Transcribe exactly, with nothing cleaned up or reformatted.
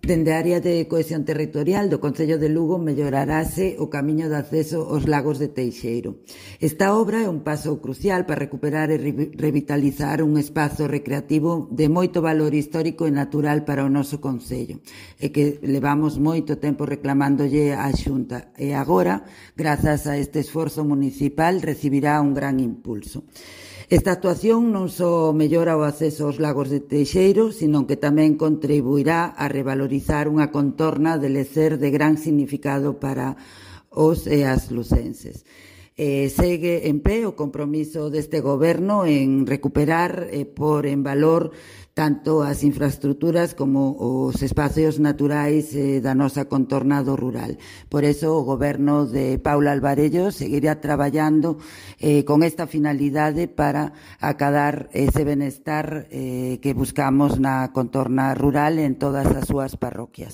Dende a área de cohesión territorial do Concello de Lugo mellorarase o camiño de acceso aos lagos de Teixeiro. Esta obra é un paso crucial para recuperar e revitalizar un espazo recreativo de moito valor histórico e natural para o noso Concello, e que levamos moito tempo reclamándolle á Xunta, e agora, grazas a este esforzo municipal, recibirá un gran impulso. Esta actuación non só mellora o acceso aos lagos de Teixeiro, sino que tamén contribuirá a revalorizar unha contorna de lecer de gran significado para os e as lucenses. Eh, segue en pé o compromiso deste goberno en recuperar e por en valor tanto as infraestructuras como os espacios naturais eh, da nosa contorna do rural. Por eso o goberno de Paula Alvarello seguirá traballando eh, con esta finalidade para acadar ese benestar eh, que buscamos na contorna rural en todas as súas parroquias.